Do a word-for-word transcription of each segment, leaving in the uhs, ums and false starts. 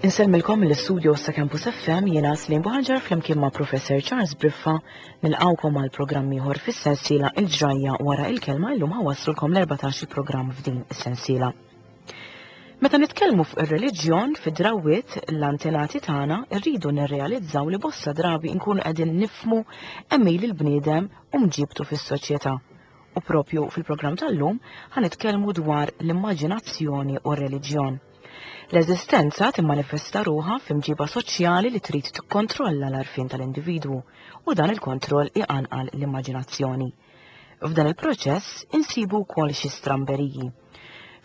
Insellmilkom mill-istudio sa' Campus F M, jiena Slim Buħanġar flimkien ma' Professor Charles Briffa nilqawkom għal programm ieħor fis-sensiela Il-Ġrajja wara il-kelma. Illum ħawasslulkom l-erbatax il-programm f'din is-sensiela. Meta nitkellmu fuq ir-reliġjon fid-drawwiet l-antenati tagħna rridu nirrealizzaw li bosta drabi nkunu qegħdin nifhmu għemil il-bniedem u mġibtu fis-soċjetà. U propju fil-programm tal-lum ħanitkellmu dwar l-immaġinazzjoni u r-reliġjon. L-eżistenza timmanifesta ruħha f'imġiba soċjali li trid tikkontrolla l-għarfien tal-individwu u dan il-kontroll iqanqal l-immaġinazzjoni. F'dan il-proċess insibu wkoll xi stramberiji.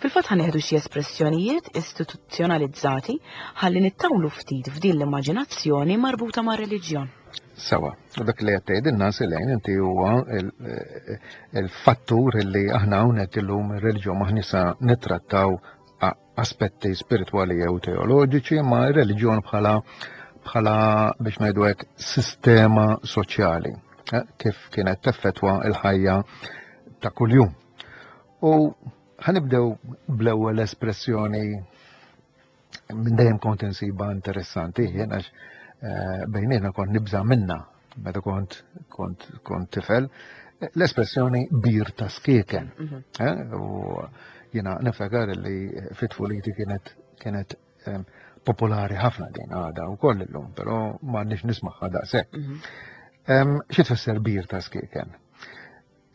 Fil-fatt ħanieħdu xi espressjonijiet istituzzjonalizzati ħalli nittawlu ftit f'din l-immaġinazzjoni marbuta mar-reliġjon. Sawa, u dak li qed tgħidilna Silejn inti huwa il-fattur li aħna hawnhekk illum ir-reliġjon m'aħna sa nittrattaw aspetti spiritwali jew teoloġiċi, ma r-reliġjon bħala bħala biex ngħidu hekk sistema soċjali, eh, kif kienet teffettwa l-ħajja ta' kuljum. U ħanibdew bl-ewwel espressjoni minn dejjem kont insiba interessanti, jien għax, eh, bejnietna kont nibża' minna meta kont, kont, kont tifel, l-espressjoni bir ta' skieken. Mhm. Eh, u jiena niftakar li fit-tfuliti kienet, kienet, em, popolari ħafna din għada u koll illum, però m'għandniex nismagħha daqshekk. Mhm. Em, xi tfisser bir ta' skieken?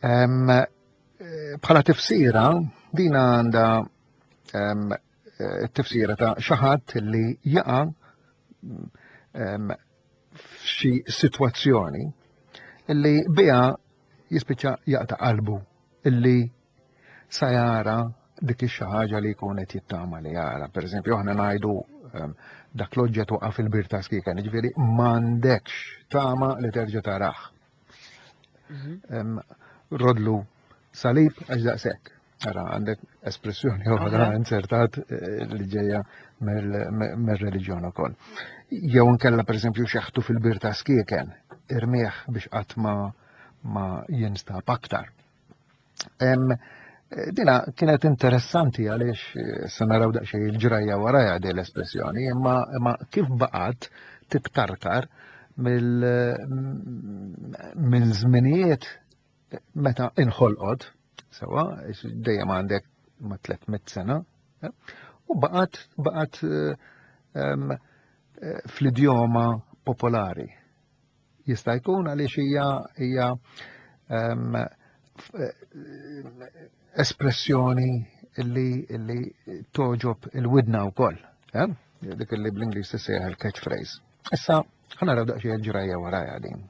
Em, eh, bħala tifsira, din għandha, em, eh, tifsira ta' xi ħadd li jaqa', em, f'xi sitwazzjoni li biha jispiċċa jaqta' qalbu, illi sa jara dik ix-xi ħaġa li jkun qed jittama li jara. Per eżempju, aħna ngħidu, ehm, dak l-oġġett waqa' fil-bir ta' skieken, jiġifieri m'għandekx tama li terġa' tarah. Mhm. Ehm, rodlu salib għax daqshekk. Ara, għandek espressjoni oħra Aha. insertat, eh, li ġejja mill-, mir-reliġjon ukoll. Jew inkella pereżempju xeħtu fil-bir ta' skieken, irmieħ biex qatt ma, ma jinstab aktar. Em, dina kienet interessanti għaliex, eh, se naraw daqsxejn il-ġrajja warajha din l-espressjoni, imma, imma kif baqgħet titkarkar mill-, minn żminijiet meta inħolqot, sewa, dejjem għandek ma' tliet mitt sena, eh, u baqgħet, baqgħet, eh, em, eh, fl-idjoma popolari. Jista' jkun għaliex hija, hija, em, f-, eh, espressjoni li, li toġob il-widna wkoll, eh? Dik li bl-Ingliż tissejjaħ il-catchphrase. Issa ħa naraw daqsxejn il-ġrajja warajha din.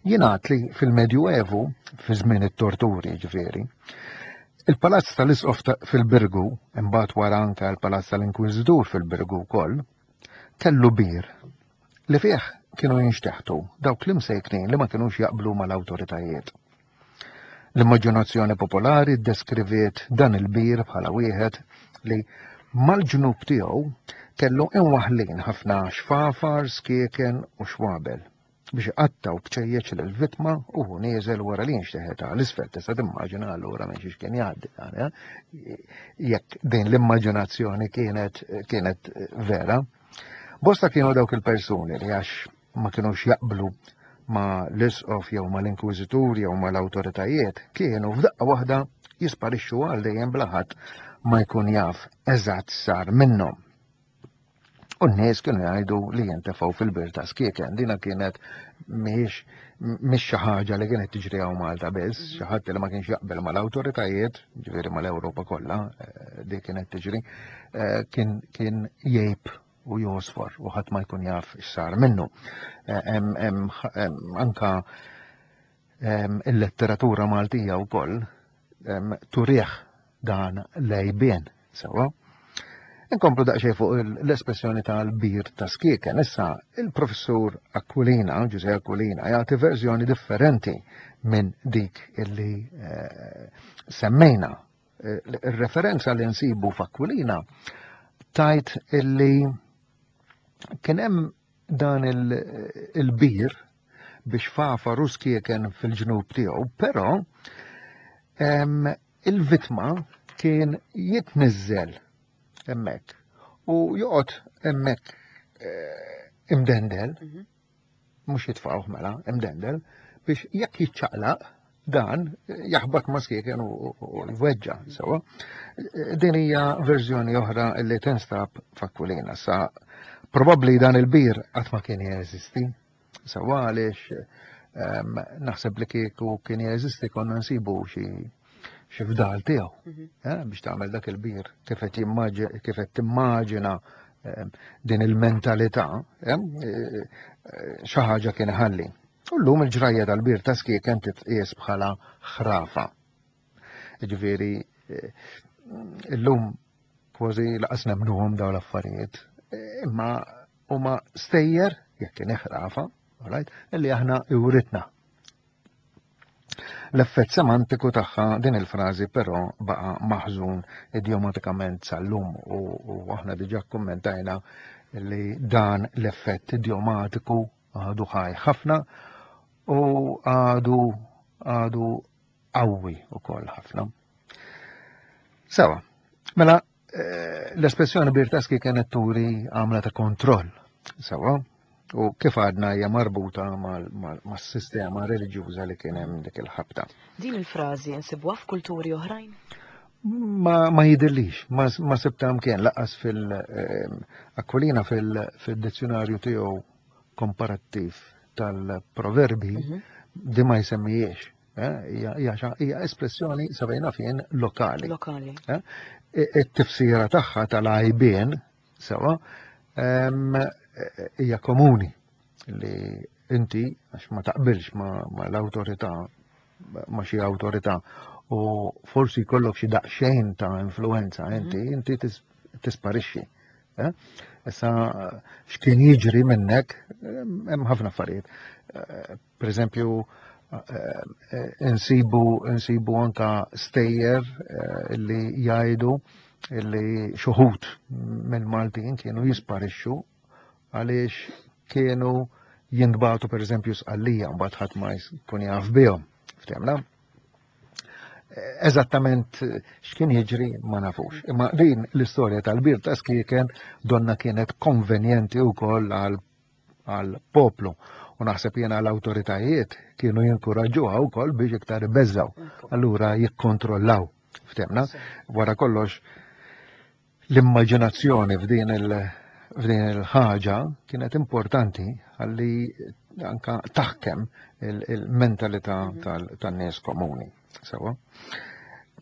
Jingħad li fil-Medjuevu, fi żmien it-torturi ġifieri, il-Palazz tal-Isqof ta-, fil-Birgu, imbagħad wara anke l-Palazz tal-Inkwiżitur fil-Birgu wkoll, kellu bir li fih kienu jinxteħtu dawk l-imsejknin li ma kinux jaqblu mal-awtoritajiet. L-immaġinazzjoni popolari ddeskriviet dan il-bir bħala wieħed li mal-ġnub tiegħu kellu imwaħlin ħafna xfafar, skieken u xwabel biex iqattaw bċejjeċ lill-vittma u hu nieżel wara li jinxteħet għal isfel. Tista' timmaġina allura minn xiex kien jgħaddi, eh? Jekk din l-immaġinazzjoni kienet, kienet vera. Bosta kienu dawk il-persuni li għax ma kinux jaqblu ma l-isqof jew ma l-inkwiżitur jew ma l-awtoritajiet, kienu f'daqqa waħda jisparixxu għal dejjem bla ħadd ma jkun jaf eżatt sar minnhom. U n-nies kienu jgħidu li jintefgħu fil-bir ta' skieken. Dina kienet mhijiex, mhix xi ħaġa li kienet tiġri hawn Malta biss, Mhm. xi ħadd li ma kienx jaqbel mal-awtoritajiet, ġifieri mal-Ewropa kollha, eh, di kienet tiġri, eh, kien, kien jgħib u josfor u ħadd ma jkun jaf x'sar minnu. Eh, hemm, hemm, hemm, anka, em, il-letteratura Maltija wkoll, em, turih dan lejbien, sewwa. Inkomplu daqsxejn fuq il-, l-espressjoni tal-bir ta' skieken. Issa, il-professur Aquilina, Giuseppe Aquilina, jagħti verżjoni differenti minn dik illi, eh, semmejna. Eh, il-referenza li nsibu f'Aquilina tajt illi kien hemm dan il-, il-bir biex fafa ruskieken fil-ġnub tiegħu, però, em, il-vittma kien jitniżżel hemmhekk U joqgħod hemmhekk eh, imdendel, Mhm. mhux jitfgħuh mela, imdendel, biex jekk jiċċaqlaq dan jaħbat ma' skieken u u jweġġa' sewwa. Din hija verżjoni oħra li tinstab f'Akwilina. Sa probabbli dan il-bir qatt ma kien jeżisti. Sewwa għaliex ehm, naħseb li kieku kien jeżisti konna nsibu xi xi fdal tiegħu Mhm. eh, biex tagħmel dak il-bir kif qed jimmaġi- kif qed timmaġina ehm, din il-mentalità eh, eh, xi ħaġa kien iħalli. U llum il-ġrajja tal-bir ta' skieken titqies bħala ħrafa. Ġifieri eh, illum kważi lanqas nemmnuhom dawn l-affarijiet. Eh, Imma huma stejjer, jekk kien ħrafa, alright, illi aħna iwritna. L-effett semantiku tagħha din il-frażi però baqa' maħżun idjomatikament sal-lum u, u aħna diġà kommentajna li dan l-effett idjomatiku għadu ħaj ħafna u għadu għadu qawwi ukoll ħafna. Sewwa, mela eh, l-espressjoni bir ta' skieken kienet turi għamla ta' kontroll. Sewwa, u kif għadna hija marbuta mas-sistema reliġjuża li kien hemm dik il-ħabta. Din il-frażi nsibuha f'kulturi oħrajn? Ma, ma jidhirlix, ma, ma sibta mkien lanqas fil-Aquilina fil-dizzjonarju tiegħu komparattiv tal-proverbi Mhm. di ma jsemmijiex. eh, Hija hija xa- hija espressjoni sabejna fien lokali. Lokali. Eh, It-tifsira tagħha tal-għajbien sewwa em, hija komuni li inti għax ma taqbilx ma, ma l-awtorità ma xi awtorità u forsi jkollok xi daqsxejn ta' influenza inti inti tis- tisparixxi. eh? Issa x'kien jiġri minnek hemm ħafna affarijiet. Eh, Per eżempju, eh, eh, insibu insibu anka stejjer eh, illi jgħidu illi xi wħud minn Maltin kienu jisparixxu għaliex kienu jintbagħtu per eżempju Sqallija mbagħad ħadd ma jkun jaf bihom. Ftehmna? Eżattament x'kien jiġri ma nafux. Imma din l-istorja tal-bir ta' skieken donna kienet konvenjenti wkoll għal għal poplu u naħseb jiena l-awtoritajiet kienu jinkuraġġuha wkoll biex iktar ibeżżaw. Allura jikkontrollaw. Ftehmna? Wara kollox l-immaġinazzjoni f'din il- f'din il-ħaġa kienet importanti għalli anka taħkem il-mentalità tal- tan-nies komuni. Sewwa.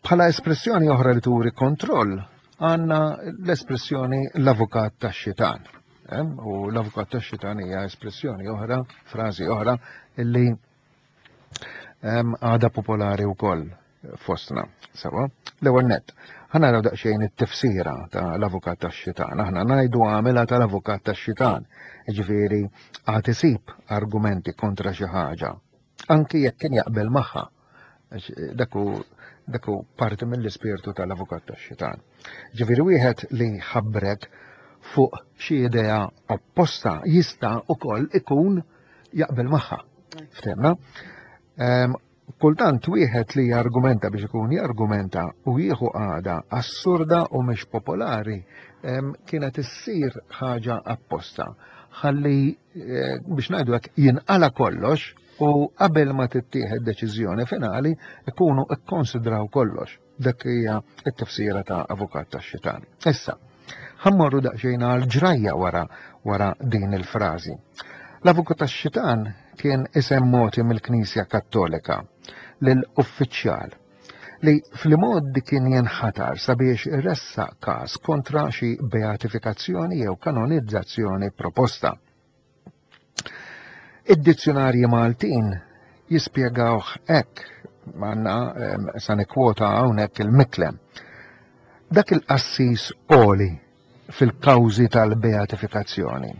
Bħala espressjoni oħra li turi kontroll għandna l-espressjoni l-avukat tax-xitan. Eh? U l-avukat tax-xitan hija espressjoni oħra, frażi oħra, illi em, għada popolari wkoll fostna. Sewwa, l-ewwel nett. Ħa naraw daqsxejn it-tifsira ta' l-avukat tax-xitan. Aħna ngħidu għamilha tal-avukat tax-xitan. Ġifieri għad isib argumenti kontra xi ħaġa, anki jekk kien jaqbel magħha. Għax, eh, Dak hu dak hu parti mill-ispirtu tal-avukat tax-xitan. Ġifieri wieħed li ħabbrek fuq xi idea opposta jista' ukoll ikun jaqbel magħha. Ftehmna? Em, Kultant wieħed li jargumenta biex ikun jargumenta u jieħu qagħda assurda u mhix popolari em, kienet issir ħaġa apposta. Ħalli eh, biex ngħidu hekk jinqala kollox u qabel ma tittieħed deċiżjoni finali ikunu ikkonsidraw kollox. Dak hija t-tifsira ta' avukat tax-xitan. Issa, ħa mmorru daqsxejn għal ġrajja wara wara din il-frażi. L-avukat tax-xitan kien isem mogħti mill-Knisja Kattolika lil uffiċjal li fl-imgħoddi kien jinħatar sabiex iressaq każ kontra xi beatifikazzjoni jew kanonizzazzjoni proposta. Id-dizzjonarji Maltin jispjegawh hekk, għandna em, sa nikkwota hawnhekk il-Micklem. Dak il-qassis għoli fil-kawżi tal-beatifikazzjoni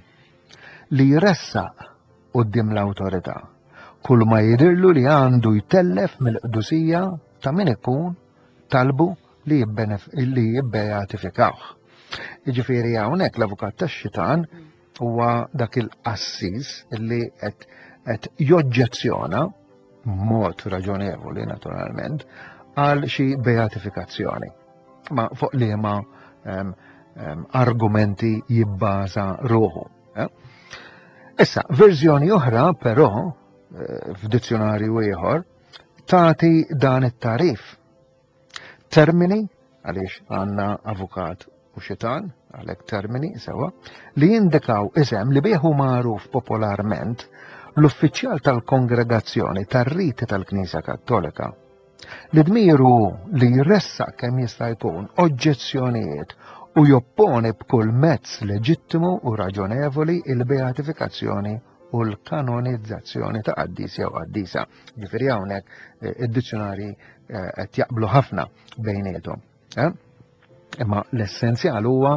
li jressaq quddiem l-awtorità kull ma jidirlu li għandu jtellef mill-qdusija ta' min ikun talbu li jibbenef- li jibbeatifikawh. Jiġifieri hawnhekk l-avukat tax-xitan huwa dak il-qassis li qed qed joġġezzjona mod raġonevoli naturalment għal xi beatifikazzjoni. Ma fuq liema em, argumenti jibbaża ruħu. Eh? Issa, verżjoni oħra però eh, f'dizzjonarju ieħor tagħti dan it-tarif. Termini, għaliex għandna avukat u xitan, għalhekk termini sewa, li jindikaw isem li bieħu magħruf popolarment l-uffiċjal tal-kongregazzjoni tar-riti tal-Knisja Kattolika. Li dmiru li jressaq kemm jista' jkun oġġezzjonijiet u jopponi b'kull mezz leġittimu u raġonevoli il-beatifikazzjoni u l-kanonizzazzjoni ta' qaddis jew qaddisa. Ġifieri hawnhekk eh, id-dizzjonari eh, qed jaqblu ħafna bejniethom. Eh? Imma l-essenzjal huwa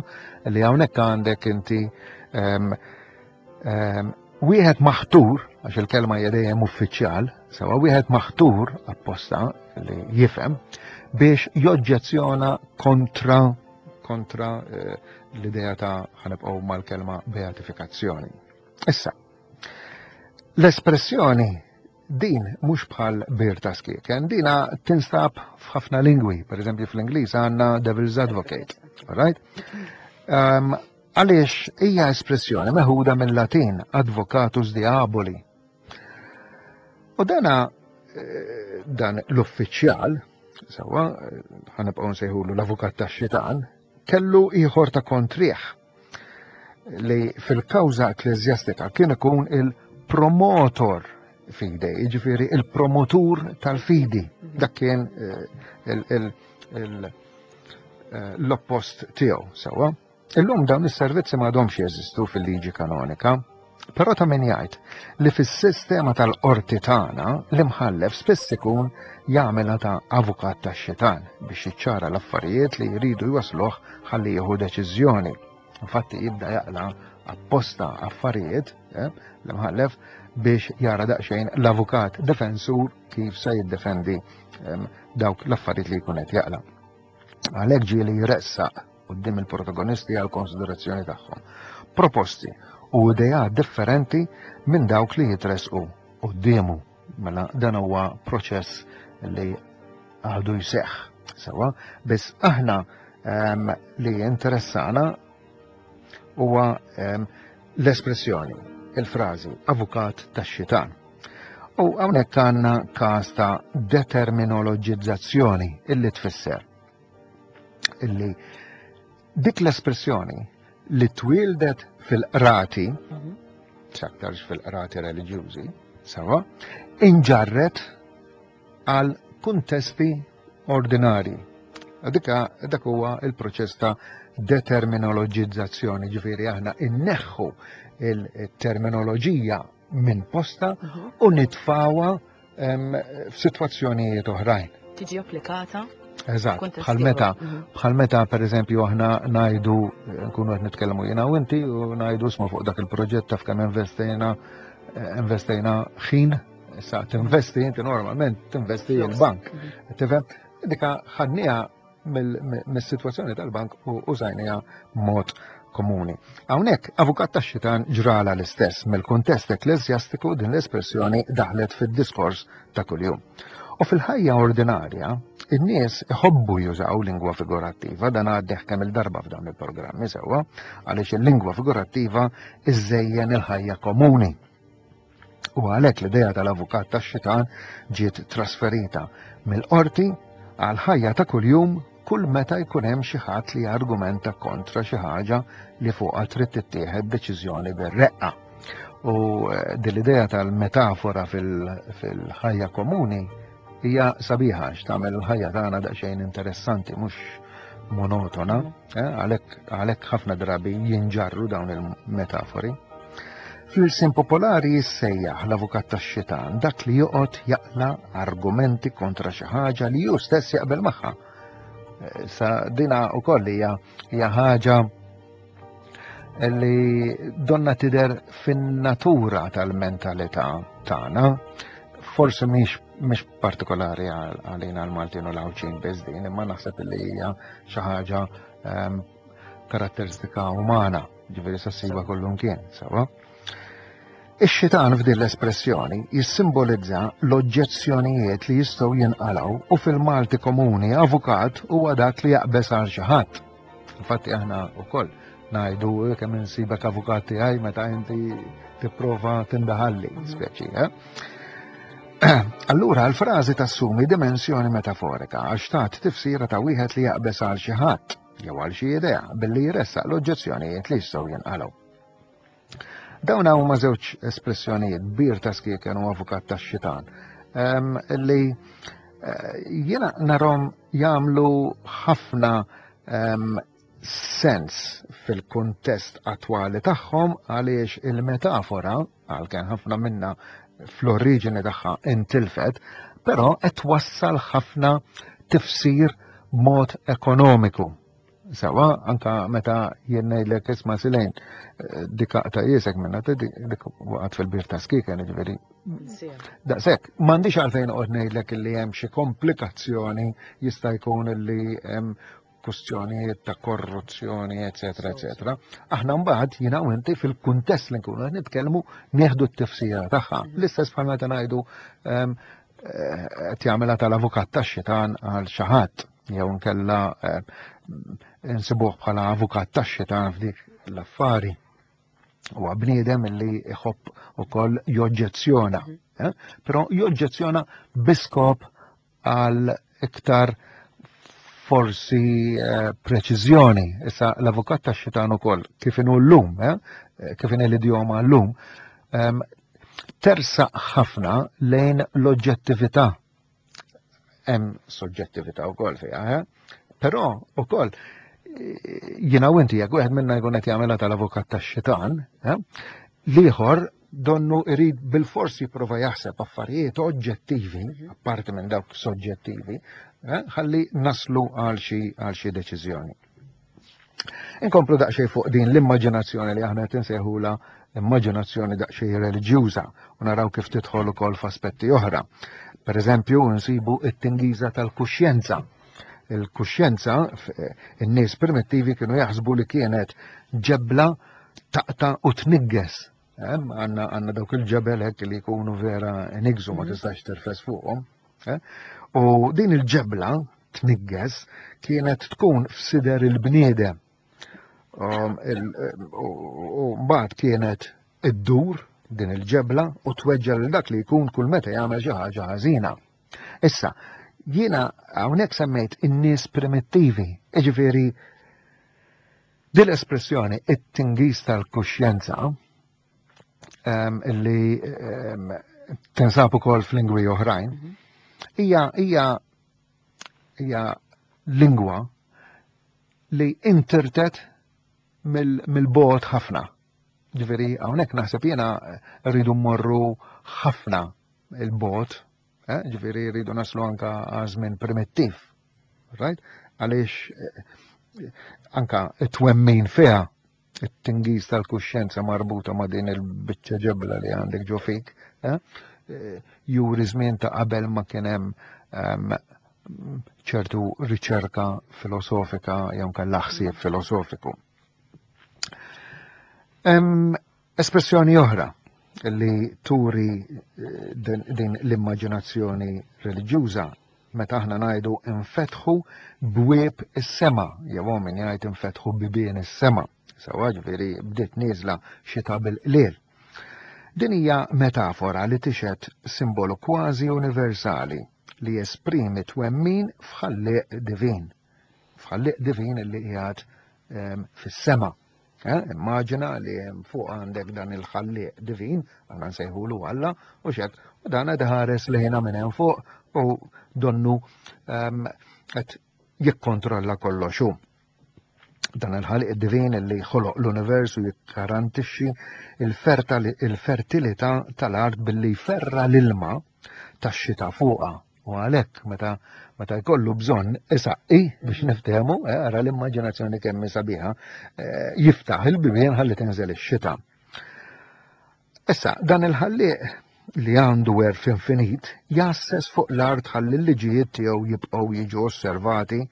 li hawnhekk għandek inti ehm, ehm, wieħed maħtur, għax il-kelma hija dejjem uffiċjal, sewa wieħed maħtur apposta li jifhem biex joġġezzjona kontra kontra eh, l-idea ta' ħanibqgħu mal-kelma beatifikazzjoni. Issa, l-espressjoni din mhux bħal bir ta' skieken, dina tinstab f'ħafna lingwi, per eżempju fl-Ingliż għandna Devil's Advocate, right? Um, għaliex hija espressjoni meħuda mill-Latin advocatus diaboli. U dana eh, dan l-uffiċjal, sewa, eh, ħanibqgħu nsejħulu l-avukat tax-xitan, kellu ieħor ta' kontrih li fil-kawża ekkleżjastika kien ikun il-promotor fidei, jiġifieri il-promotur tal-fidi. Dak kien eh, l-oppost tiegħu, sewa. Illum dawn is-servizzi m'għadhomx jeżistu fil-liġi kanonika, però ta' min jgħid li fis-sistema tal-qorti tagħna l-imħallef spiss ikun jagħmilha ta' avukat tax-xitan biex jiċċara l-affarijiet li jridu jwasluh ħalli jieħu deċiżjoni. Infatti jibda jaqla apposta affarijiet eh, l-imħallef biex jara daqsxejn l-avukat defensur kif se jiddefendi ehm, dawk l-affarijiet li jkun qed jaqla. Għalhekk ġieli jressaq quddiem il-protagonisti għal konsiderazzjoni tagħhom. Proposti u ideat differenti minn dawk li jitresqu quddiemu. Mela dan huwa proċess li għadu jseħħ. Sewa, biss aħna um, li interessana huwa um, l-espressjoni, il-frażi avukat tax-xitan. U hawnhekk għandna każ ta' determinologizzazzjoni illi tfisser illi dik l-espressjoni li twildet fil-qrati, mhm. x'aktarx fil-qrati reliġjużi, sewa, inġarret għal kuntesti ordinari. Dika dak huwa il-proċess ta' determinologizzazzjoni, ġifieri aħna inneħħu il-terminoloġija minn posta mhm. u nitfawha f'sitwazzjonijiet oħrajn. Tiġi applikata. Eżatt, bħal meta, mhm. bħal meta per eżempju aħna ngħidu nkunu qed nitkellmu jiena u inti u ngħidu isma' fuq dak il-proġett taf kemm investejna investejna ħin, issa tinvesti inti normalment tinvesti il-bank. Mhm. Tifhem? Dika ħadniha mis-sitwazzjoni tal-bank u użajniha mod komuni. Hawnhekk avukat tax-xitan ġrala l-istess mill-kuntest ekkleżjastiku din l-espressjoni daħlet fid-diskors ta' kuljum. U fil-ħajja ordinarja, in-nies iħobbu jużaw lingwa figurattiva, dan għaddeh kemm il-darba f'dawn il-programmi sewwa, għaliex il-lingwa figurattiva iżżejjen il-ħajja komuni. U għalhekk l-idea tal-avukat tax-xitan ġiet trasferita mill-qorti għal ħajja ta' kuljum kull meta jkun hemm xi ħadd li argumenta kontra xi ħaġa li fuqha trid tittieħed deċiżjoni bir-reqqa. U eh, din l-idea tal-metafora fil-ħajja komuni hija sabiħa għax tagħmel il-ħajja tagħna daqsxejn interessanti mhux monotona, eh, għalhekk ħafna drabi jinġarru dawn il-metafori. Fl-ilsien popolari jissejjaħ l-avukat tax-xitan dak li joqgħod jaqla argumenti kontra xi ħaġa li hu stess jaqbel magħha. Eh, sa dina wkoll hija hija ħaġa li donna tidher fin-natura tal-mentalità tagħna, forsi mhix mhix partikolari għalina l-Maltin u l-Għawdxin biss din, imma naħseb li hija xi ħaġa ehm, karatteristika umana, ġifieri sa ssiba kullum kien, sewa. Ix-xitan f'din l-espressjoni jissimbolizza l-oġġezzjonijiet li jistgħu jinqalgħu u fil-Malti komuni avukat huwa dak li jaqbeż għal xi ħadd. Infatti aħna wkoll ngħidu kemm insibek avukat tiegħi meta inti tipprova tindaħalli, speċi. Eh? Allura l-frażi tassumi dimensjoni metaforika għax tat tifsira ta' wieħed li jaqbeż għal xi ħadd jew għal xi idea billi jressaq l-oġġezzjonijiet li jistgħu jinqalgħu. Dawn huma żewġ espressjonijiet, bir ta' skieken u avukat tax-xitan, li eh, jiena narhom jagħmlu ħafna sens fil-kuntest attwali tagħhom għaliex il-metafora, għalkemm ħafna minna fl-oriġini tagħha intilfet, però qed twassal ħafna tifsir b'mod ekonomiku. Sawa, anka meta jien ngħidlek isma' Silejn, eh, dik aqta' jiesek minna, dik waqgħet fil-bir ta' skieken, jiġifieri. Daqshekk, m'għandix għalfejn noqgħod ngħidlek illi hemm xi komplikazzjoni, jista' jkun illi hemm kustjonijiet ta' korruzzjoni, eċetera, eċetera. Aħna mbagħad jiena u inti fil-kuntest li nkunu qed nitkellmu nieħdu t-tifsira tagħha. Mhm. L-istess bħal meta ngħidu ehm, eh, qed jagħmilha tal-avukat tax-xitan għal xi ħadd jew nkella eh, insibuh bħala avukat tax-xitan f'dik l-affari. Huwa bniedem li jħobb ukoll joġġezzjona, mhm. eh? Però joġġezzjona biskop għal iktar forsi eh, preċiżjoni. Issa l-avukat tax-xitan ukoll kif inhu llum, eh, kif inhi l-idjoma llum, ehm, tersaq ħafna lejn l-oġġettività. Hemm soġġettività wkoll fiha, eh? Però ukoll jiena u inti jekk wieħed minna jkun qed jagħmilha tal-avukat tax-xitan, l-ieħor donnu irid bil-forsi jipprova jaħseb affarijiet oġġettivi, mhm. apparti minn dawk soġġettivi, eh, ħalli naslu għal xi għal xi deċiżjoni. Inkomplu daqsxejn fuq din l-immaġinazzjoni li aħna qed insejħula immaġinazzjoni daqsxejn reliġjuża u naraw kif tidħol ukoll f'aspetti oħra. Per eżempju, nsibu it-tingiża tal-kuxjenza. Il-kuxjenza, in-nies primittivi kienu jaħsbu li kienet ġebla taqta' u tnigges. Għanna għanna dawk il-ġebel hekk li jkunu vera nigżu ma mhm. tistax terfes fuqhom. Eh? U din il-ġebla tnigges kienet tkun f'sider il-bniedem. Um, u mbagħad kienet iddur din il-ġebla u tweġġa lil dak li jkun kull meta jagħmel xi ħaġa ħażina. Issa, jiena hawnhekk semmejt in-nies primittivi, jiġifieri din l-espressjoni it-tingiż tal-kuxjenza ehm, illi ehm, tinsab ukoll f'lingwi oħrajn, mhm. hija hija hija lingwa li intirtet mill-bogħod ħafna. Ġifieri hawnhekk naħseb jiena rridu mmorru ħafna il-bogħod, eh, ġifieri rridu naslu anka għaż-żmien primittiv. Right? Għaliex eh, anka it-twemmin fiha it-tingiż tal-kuxjenza marbuta ma' din il-biċċa ġebla li għandek ġo fik, eh, juri żmien ta' qabel ma kien hemm ehm, ċertu riċerka filosofika jew kellha ħsieb filosofiku. Hemm espressjoni oħra li turi eh, din l-immaġinazzjoni reliġjuża meta aħna ngħidu infetħu bwieb is-sema, jew min jgħid infetħu bibien is-sema. Sawa ġifieri bdiet nieżla xita bil-qliel. Din hija metafora li tixhed simbolu kważi universali li jesprimi twemmin f'ħallieq divin. F'ħallieq divin li qiegħed ehm, fis-sema. Eh, immaġina li hemm fuq għandek dan il-ħallieq divin, aħna nsejħulu Alla, u xek, u dan qed iħares lejna minn hemm fuq u donnu ehm, qed jikkontrolla kollox hu. Dan il-ħaliq divin li ħoloq l-univers u jikkarantixxi il-fertilità tal-art billi jferra l-ilma tax-xita fuqha. U għalhekk meta meta jkollu bżonn isaqqi biex niftehmu, eh, ara l-immaġinazzjoni kemm sabiħa, eh, jiftaħ il-bibien ħalli tinżel ix-xita. Issa, dan il-ħallieq li għandu għerf infinit jasses fuq l-art ħalli l-liġijiet tiegħu jibqgħu jiġu osservati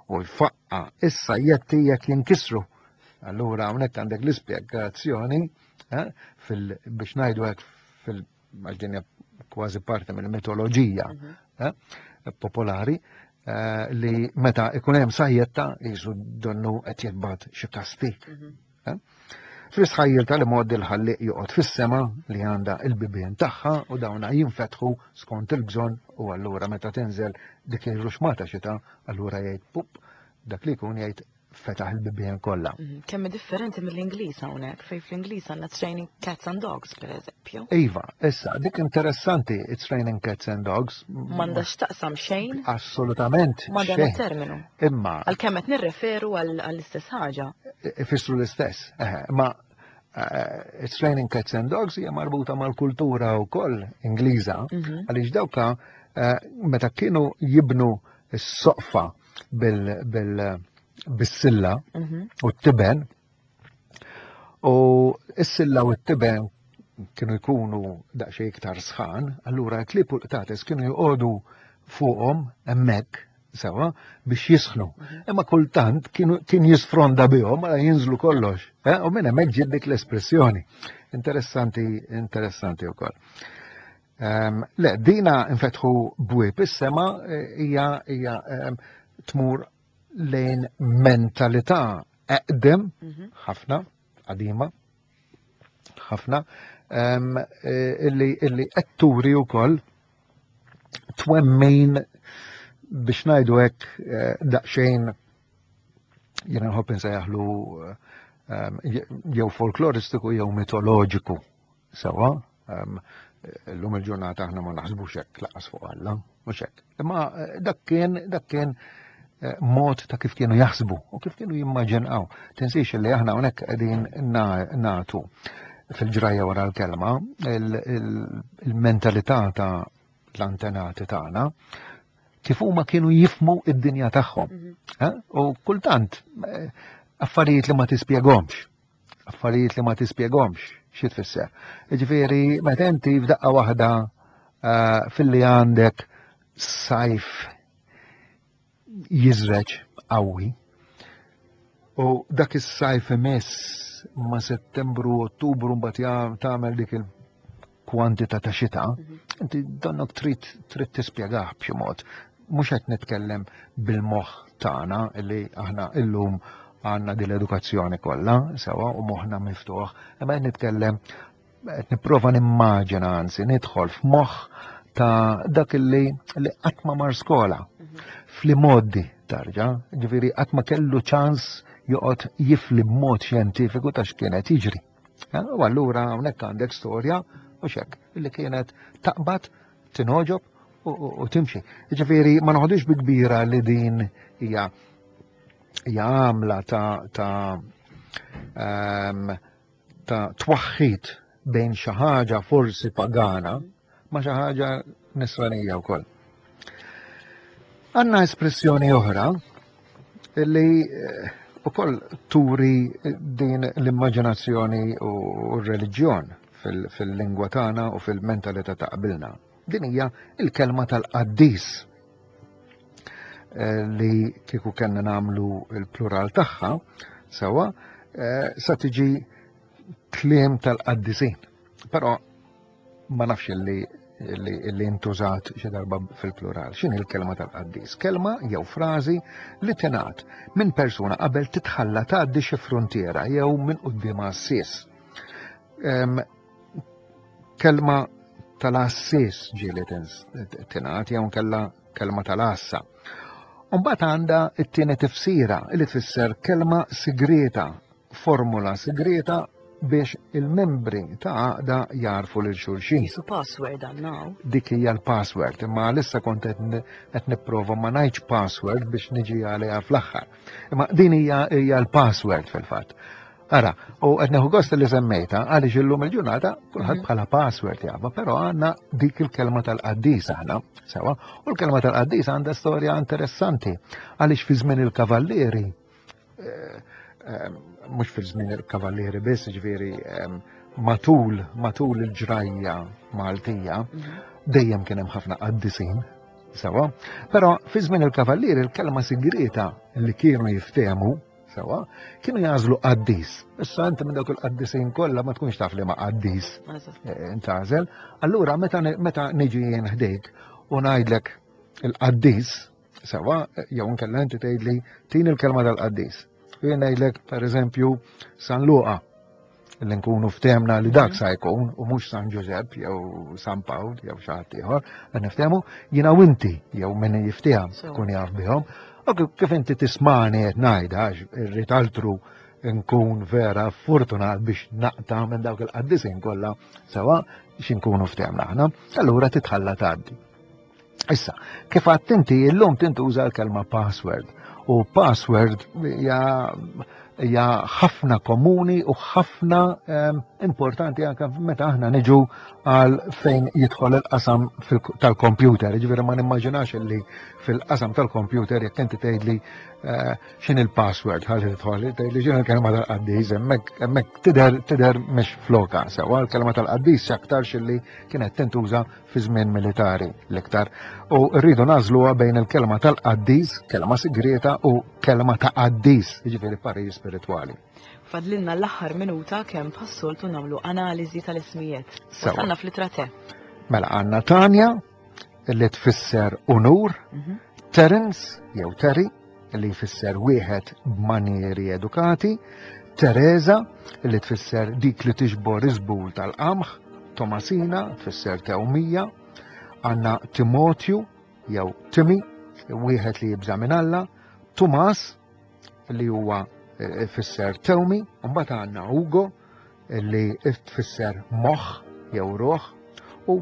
u jfaqqa is-sajjetti jekk jinkisru. Allura hawnhekk għandek l-ispjegazzjoni eh, fil biex ngħidu hekk fil għax din hija kważi parti mill-mitoloġija mhm. eh, popolari, eh, li meta ikun hemm sajjetta jisu donnu qed jitbagħat xi kastik. Mhm. Eh? Fl-istħajjil tal-mod il-ħalliq joqgħod fis-sema li għandha il-bibien tagħha u dawna jinfetħu skont il-bżonn u allura meta tinżel dik ir-ruxmata xita, allura jgħid pup, dak li jkun jgħid fetaħ il-bibien kollha. Mhm. Kemm differenti mill-Ingliż hawnhekk, fejn fl-Ingliż għandna training cats and dogs, per eżempju. Iva, issa, dik interessanti, it's raining cats and dogs. M'għandax taqsam xejn Assolutament. ma' dan xejn. it-terminu. Imma Għalkemm qed nirreferu għall- għall-istess ħaġa. ifissru l-istess. Eħe, Ma eh, it's raining cats and dogs hija marbuta mal-kultura wkoll Ingliża, Mhm. għaliex dawka eh, meta kienu jibnu s-soqfa bil- bil- bis-silla Mhm. u t-tiben, u s-silla u t-tiben kienu jkunu daqsxejn iktar sħan, allura l-klieb u l-qtates kienu joqogħdu fuqhom hemmhekk sewa biex jisħnu. Imma kultant kienu kien jisfronda bihom mela jinżlu kollox. Eh? U minn hemmhekk ġiet dik l-espressjoni. Interessanti, interessanti wkoll. Um, le, dina infetħu bwieb is-sema eh, hija hija em, tmur lejn mentalità eqdem Mhm. ħafna, qadima, ħafna, em, eh, illi illi qed turi wkoll twemmin biex ngħidu hekk eh, daqsxejn jiena nħobb insejjaħlu em, jew folkloristiku jew mitoloġiku sewa. Em, Illum il-ġurnata aħna ma naħsbux hekk lanqas fuq Alla, mhux hekk. Imma eh, dak kien dak kien eh, mod ta' kif kienu jaħsbu u kif kienu jimmaġinaw. Tinsiex li aħna hawnhekk qegħdin na- nagħtu fil-ġrajja wara l-kelma il- il- il-mentalità ta' l-antenati tagħna kif huma kienu jifmu id-dinja tagħhom. Mhm. Eh? U kultant eh, affarijiet li ma tispjegomx. Affarijiet li ma tispjegomx, xi tfisser. Ġifieri meta inti f'daqqa waħda eh, filli għandek sajf jiżreġ qawwi u dak is-sajf imiss ma' Settembru, Ottubru mbagħad jam- tagħmel dik il-kwantità ta' xita, Mhm. inti donnok trid trid tispjegah b'xi mod. Mhux qed nitkellem bil-moħħ tagħna li aħna illum għandna din l-edukazzjoni kollha sewa u moħħna miftuħ, imma qed nitkellem qed nipprova nimmaġina anzi nidħol f'moħħ ta' dak li li qatt ma mar skola Mhm. fl-modi tarġa, ġifieri qatt ma kellu ċans joqgħod jifli b'mod xjentifiku ta' x'kienet jiġri. Eh, U allura hawnhekk għandek storja u xek illi kienet taqbad, tinogħġob u, u, u timxi. Ġifieri ma noħodux bi kbira li din hija hija għamla ta' ta' um, ta' twaħħid bejn xi ħaġa forsi pagana ma' xi ħaġa nisranija wkoll. Għanna espressjoni oħra illi eh, ukoll turi din l-immaġinazzjoni u r-reliġjon fil- fil-lingwa tagħna u fil-mentalità ta' qabilna. Din hija il-kelma tal-qaddis eh, li kieku kellna nagħmlu il-plural tagħha sewa eh, sa tiġi kliem tal-qaddisin. Però ma nafx li li, li intużat xi darba fil-plural. X'inhi l-kelma tal-qaddis? Kelma jew frażi li tingħad minn persuna qabel titħalla tgħaddi xi frontiera jew minn quddiem għassies. Em, Kelma tal-għassies ġieli tingħad jew kella kelma tal-għassa. Mbagħad għandha t-tieni tifsira li tfisser kelma sigreta, formula sigreta biex il-membri ta' għaqda jarfu lil xulxin. Jisu password għandna. Dik hija l-password, imma għalissa kont qed n- qed nipprova ma ngħidx password biex niġi għaliha fl-aħħar. Imma din hija hija l-password fil-fatt. Ara, u qed nieħu gost li semmejta għaliex illum il-ġurnata kulħadd Mhm. bħala password jafa, però għandna dik il-kelma tal-qaddis aħna, sewa, u l-kelma tal-qaddis għandha storja interessanti għaliex fi żmien il-kavallieri eh, eh, mhux fi żmien il-kavallieri biss, ġifieri em, matul matul il-ġrajja Maltija Mhm. dejjem kien hemm ħafna qaddisin, sewa, però fi żmien il-kavallieri il-kelma sigreta li kienu jiftehmu sewa, kienu jagħżlu qaddis. Issa inti minn dawk il-qaddisin kollha ma tkunx taf li ma qaddis Eżatt. eh, intgħażel. Allura meta meta niġi jien ħdejk u ngħidlek il-qaddis, Sewa, jew inkella inti tgħidli tini l-kelma tal-qaddis. U jien ngħidlek pereżempju San Luqa li nkunu ftehmna li dak sa jkun u mhux San Ġużepp jew San Pawl jew xi ħadd ieħor, qed niftehmu jiena u inti jew min jiftiehem kun jaf bihom. U kif inti tismani qed ngħidha għax irrid altru nkun vera fortunat biex naqta' minn dawk il-qaddisin kollha sewa x'inkunu ftehmna aħna, allura titħalla tgħaddi. Issa, kif għadt inti llum tintuża l-kelma password u password hija hija ħafna komuni u ħafna um, importanti anke meta aħna niġu għal fejn jidħol il-qasam tal-computer. Ġifieri ma nimmaġinax li fil-qasam tal-computer jekk inti tgħidli uh, x'in il-password ħalli tidħol, tgħidli x'in il-kelma tal-qaddis, hemmhekk hemmhekk tidher tidher mhix floka sewwa l-kelma tal-qaddis aktarx li kienet tintuża fi żmien militari l-iktar. U rridu nagħżluha bejn il-kelma tal-qaddis, kelma sigreta u kelma ta' qaddis, jiġifieri parir spiritwali. Fadlilna l-aħħar minuta kemm bħas-soltu nagħmlu analiżi tal-ismijiet. Wasalna fl-ittra T. Mela għandna Tanja li tfisser unur, mhm. Terence jew Terry li jfisser wieħed b'manieri edukati, Teresa li tfisser dik li tiġbor iżbul tal-qamħ, Tomasina tfisser tewmija, għandna Timotju jew Timi, wieħed li jibża' minn Alla, Tumas li huwa eh, fisser tewmi, mbagħad għandna Ugo li tfisser moħħ jew ruħ u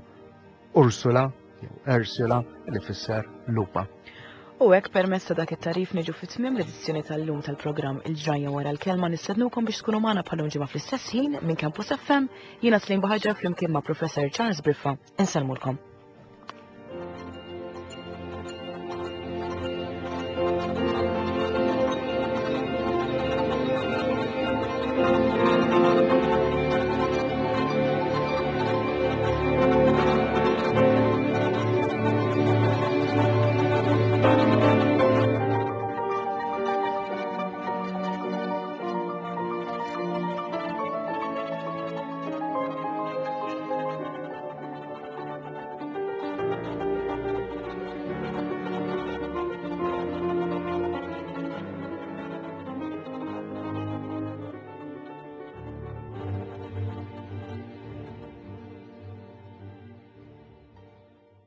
Ursula jew Ursula li tfisser lupa. U hekk permezz ta' dak it-tarif niġu fit-tmiem l-edizzjoni tal-lum tal-programm Il-Ġrajja wara l-kelma. Nistednukom biex tkunu magħna bħal ġimgħa fl-istess ħin minn Campus F M. Jiena Slim Buhagiar flimkien ma' Professor Charles Briffa. Insellmulkom. Thank you.